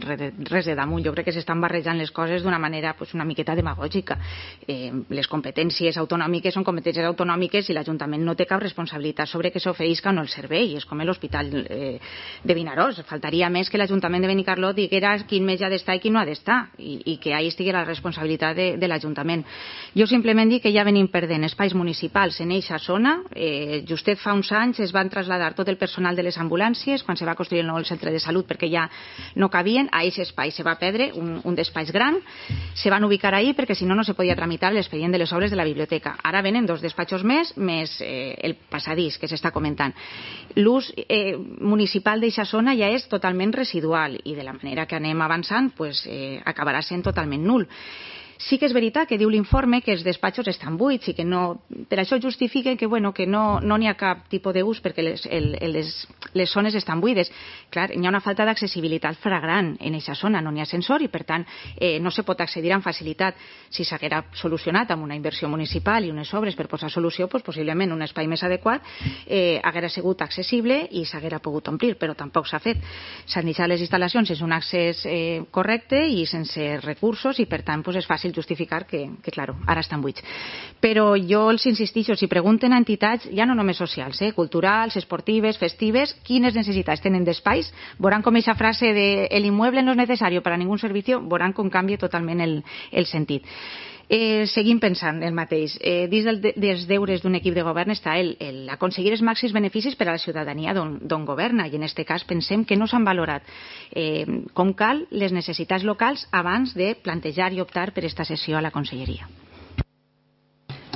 res de damunt. Jo crec que s'estan barrejant les coses d'una manera una miqueta demagògica. Les competències autonòmiques són competències autonòmiques i l'Ajuntament no té cap responsabilitat sobre que s'oferisca o no el servei. És com l'Hospital de Vinaròs. Faltaria més que l'Ajuntament de Benicarló diguera quin metge ha d'estar i quin no ha d'estar i que ahí estigui la responsabilitat de l'Ajuntament. Jo simplement dic que ja venim perdent espais municipals en eixa zona. Justet fa uns anys es van traslladar tot el personal de les ambulàncies quan se va construir el nou centre de salut perquè ja no cabien. A aquest espai se va perdre un despatx gran, se van ubicar ahí perquè si no no se podia tramitar l'expedient de les obres de la biblioteca. Ara venen 2 despatxos més el passadís que s'està comentant. L'ús municipal d'aquesta zona ja és totalment residual i de la manera que anem avançant acabarà sent totalment nul. Sí que és veritat que diu l'informe que els despatxos estan buits i que no, per això justifiquen que no n'hi ha cap tipus d'ús perquè les zones estan buides. Clar, hi ha una falta d'accessibilitat flagrant en aquesta zona, no n'hi ha ascensor i per tant no se pot accedir amb facilitat. Si s'haguera solucionat amb una inversió municipal i unes obres per posar solució, possiblement un espai més adequat haguera sigut accessible i s'haguera pogut omplir, però tampoc s'ha fet. S'han deixat les instal·lacions sense un accés correcte i sense recursos i per tant és fàcil justificar que claro, ara estan buits. Però jo els insistixo, si pregunten a entitats, ja no només socials, culturals, esportives, festives, quines necessitats tenen d'espais, veuran com aquesta frase de el inmueble no és necessari per a ningún servicio, veuran com canvia totalment el sentit. Seguim pensant el mateix. Dins dels deures d'un equip de govern està aconseguir els màxims beneficis per a la ciutadania d'on governa i en aquest cas pensem que no s'han valorat com cal les necessitats locals abans de plantejar i optar per esta cessió a la conselleria.